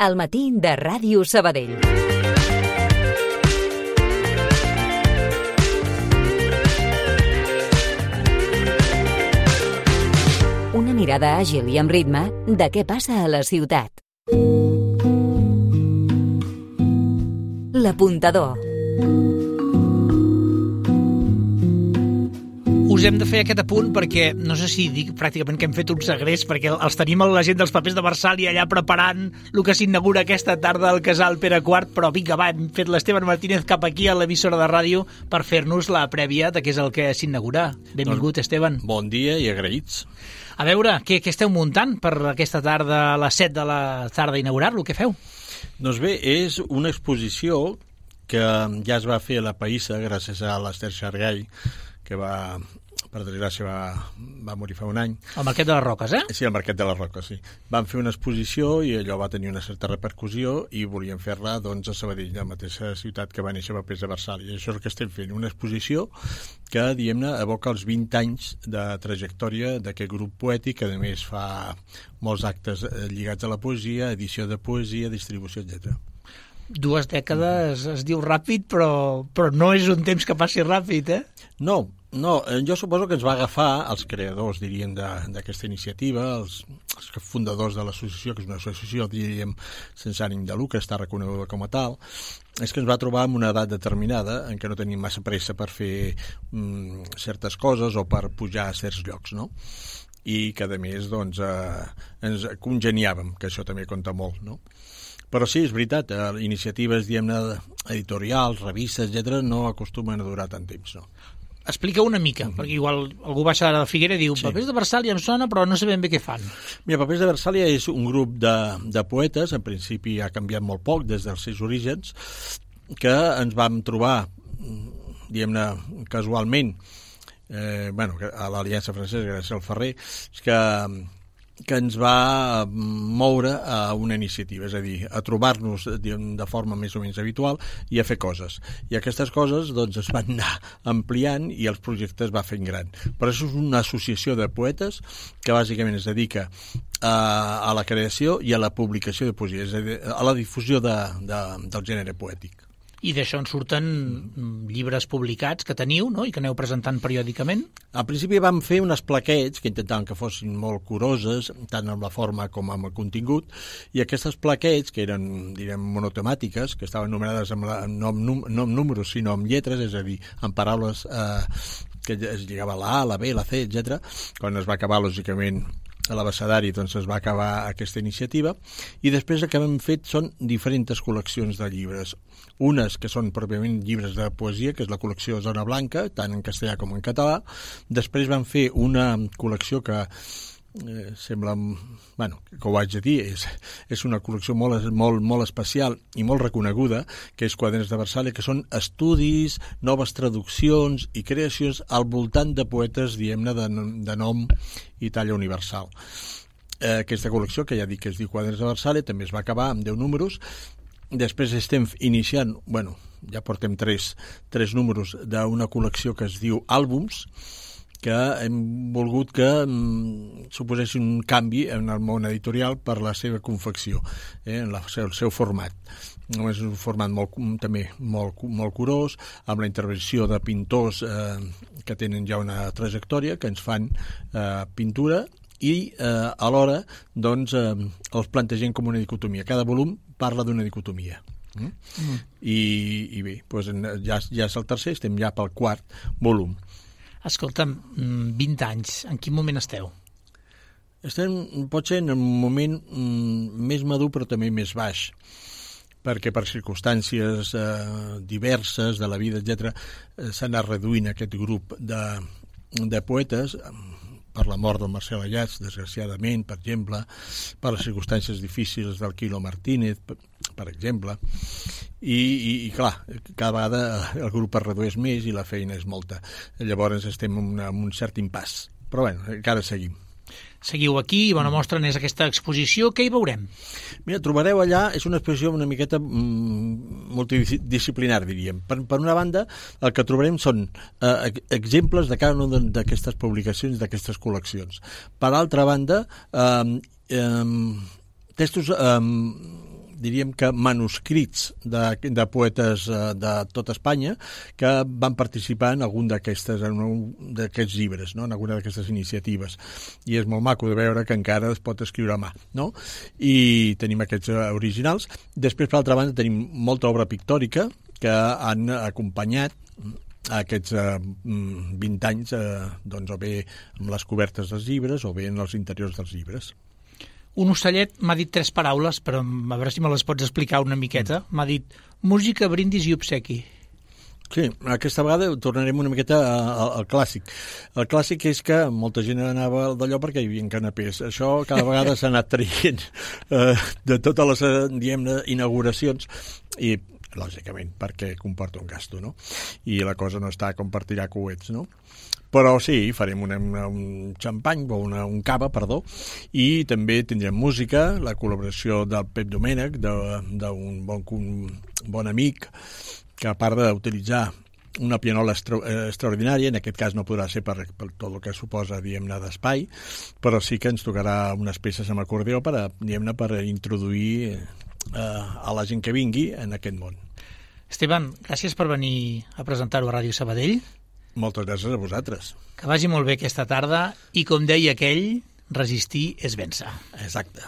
al matí de Ràdio Sabadell. Una mirada àgil i amb ritme de què passa a la ciutat. L'Apuntador. Us hem de fer aquest apunt perquè, no sé si dic pràcticament que hem fet un segrest, perquè els tenim a la gent dels papers de Versàlia allà preparant el que s'inaugura aquesta tarda al Casal Pere IV, però vinga, va, hem fet l'Esteban Martínez cap aquí a l'emissora de ràdio per fer-nos la prèvia de què és el que s'inaugura. Benvingut, Esteban. Bon dia i agraïts. A veure, què esteu muntant per aquesta tarda, a les 7 de la tarda, inaugurar-lo? Què feu? Doncs bé, és una exposició que ja es va fer a la Païssa gràcies a l'Ester Xargall, que per desgràcia, va morir fa un any. Al Marquet de les Roques, eh? Sí, al Marquet de les Roques, sí. Van fer una exposició i allò va tenir una certa repercussió i volien fer-la, doncs, a Sabadell, la mateixa ciutat que va néixer papers de Versàlia. I això és el que estem fent, una exposició que, diguem-ne, evoca els 20 anys de trajectòria d'aquest grup poètic, que a més fa molts actes lligats a la poesia, edició de poesia, distribució, etc. 2 dècades es diu ràpid, però no és un temps que passi ràpid, eh? No, jo suposo que ens va agafar els creadors, diríem, d'aquesta iniciativa, els fundadors de l'associació, que és una associació, diríem, sense ànim de lucre, està reconeguda com a tal, és que ens va trobar en una edat determinada en què no teníem massa pressa per fer certes coses o per pujar a certs llocs, no? I que, a més, doncs, ens congeniàvem, que això també compta molt, no? Però sí, és veritat, iniciatives, diguem-ne, editorials, revistes, etc., no acostumen a durar tant temps, no? Explica una mica, perquè igual algú baixa de la Figuera i diu Papers de Versàlia em sona, però no sabem bé què fan. Mira, Papers de Versàlia és un grup de poetes, en principi ha canviat molt poc des dels seus orígens, que ens vam trobar, diguem-ne, casualment, a l'Aliança Francesa, gràcies al Ferrer, que ens va moure a una iniciativa, és a dir, a trobar-nos de forma més o menys habitual i a fer coses. I aquestes coses doncs, es van anar ampliant i els projectes va fent gran. Però això és una associació de poetes que bàsicament es dedica a la creació i a la publicació de poesia, és a dir, a la difusió del gènere poètic. I d'això en surten llibres publicats que teniu, no?, i que aneu presentant periòdicament? Al principi vam fer unes plaquets que intentaven que fossin molt curoses, tant amb la forma com amb el contingut, i aquestes plaquets, que eren, direm, monotemàtiques, que estaven numerades no amb números, sinó amb lletres, és a dir, amb paraules que es lligava la A, la B, la C, etc. Quan es va acabar, lògicament, a l'abecedari, doncs es va acabar aquesta iniciativa, i després el que hem fet són diferents col·leccions de llibres. Unes que són pròpiament llibres de poesia, que és la col·lecció Zona Blanca, tant en castellà com en català. Després van fer una col·lecció que sembla, que ho haig de dir, és una col·lecció molt especial i molt reconeguda, que és Quaderns de Versàlia, que són estudis, noves traduccions i creacions al voltant de poetes, diguem-ne, de nom i talla universal. Aquesta col·lecció, que ja dic que es diu Quaderns de Versàlia, també es va acabar amb 10 números. Després estem iniciant, ja portem 3 números d'una col·lecció que es diu Àlbums, que hem volgut que suposessin un canvi en el món editorial per la seva confecció, en el seu format. És un format també molt curós, amb la intervenció de pintors que tenen ja una trajectòria, que ens fan pintura, i alhora doncs, els plantegem com una dicotomia. Cada volum parla d'una dicotomia. I bé, doncs ja és el tercer, estem ja pel 4 volum. Escolta'm, 20 anys, en quin moment esteu? Estem, potser, en un moment més madur, però també més baix, perquè per circumstàncies diverses de la vida, etc., s'ha anat reduint aquest grup de poetes, per la mort del Marcel Ayats, desgraciadament, per exemple, per les circumstàncies difícils del Quilo Martínez, per exemple, i clar, cada vegada el grup es redueix més i la feina és molta. Llavors estem en un cert impàs, però encara seguim. Seguiu aquí, bona mostra n'és aquesta exposició. Què hi veurem? Mira, trobareu allà, és una exposició una miqueta multidisciplinar, diríem. Per una banda, el que trobarem són exemples de cada una d'aquestes publicacions, d'aquestes col·leccions. Per altra banda, textos diríem que manuscrits de poetes de tota Espanya que van participar en algun d'aquests llibres, no? En alguna d'aquestes iniciatives. I és molt maco de veure que encara es pot escriure a mà, no? I tenim aquests originals. Després, per altra banda, tenim molta obra pictòrica que han acompanyat aquests 20 anys, doncs, o bé amb les cobertes dels llibres o bé en els interiors dels llibres. Un ocellet m'ha dit 3 paraules, però a veure si me les pots explicar una miqueta. M'ha dit música, brindis i obsequi. Sí, aquesta vegada tornarem una miqueta al clàssic. El clàssic és que molta gent anava d'allò perquè hi havia canapés. Això cada vegada s'ha anat traient de totes les, diguem-ne, inauguracions i lògicament, perquè comporta un gasto, no? I la cosa no està com per tirar coets, no? Però sí, farem un xampany, o un cava, perdó, i també tindrem música, la col·laboració del Pep Domènech, d'un bon amic, que a part d'utilitzar una pianola extraordinària, en aquest cas no podrà ser per tot el que suposa, diguem-ne, d'espai, però sí que ens tocarà unes peces amb acordeó per introduir a la gent que vingui en aquest món. Esteban, gràcies per venir a presentar-ho a Ràdio Sabadell. Moltes gràcies a vosaltres. Que vagi molt bé aquesta tarda i, com deia aquell, resistir és vèncer. Exacte.